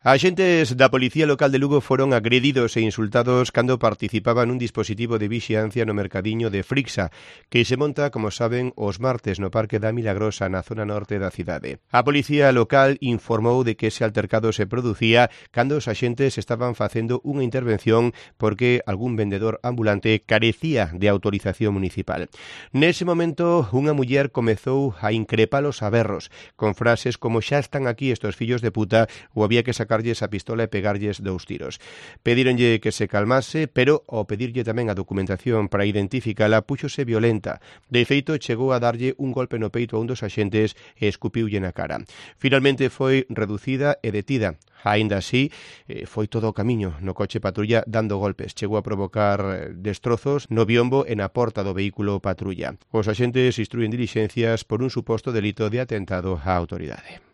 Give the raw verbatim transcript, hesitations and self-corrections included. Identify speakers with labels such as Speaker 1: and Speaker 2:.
Speaker 1: Axentes da Policía Local de Lugo foron agredidos e insultados cando participaban nun dispositivo de vixiancia no mercadiño de Frixa, que se monta, como saben, os martes no Parque da Milagrosa, na zona norte da cidade. A Policía Local informou de que ese altercado se producía cando os axentes estaban facendo unha intervención porque algún vendedor ambulante carecía de autorización municipal. Nese momento, unha muller comezou a increpalos a berros, con frases como xa están aquí estos fillos de puta ou había que sacarlles a pistola e pegarlles dous tiros. Pedíronlle que se calmase, pero ao pedirlle tamén a documentación para identificala, púxose violenta. De feito, chegou a darlle un golpe no peito a un dos axentes e escupiulle na cara. Finalmente foi reducida e detida. Aínda así, foi todo o camiño no coche patrulla dando golpes. Chegou a provocar destrozos no biombo e na porta do vehículo patrulla. Os axentes instrúen dilixencias por un suposto delito de atentado á autoridade.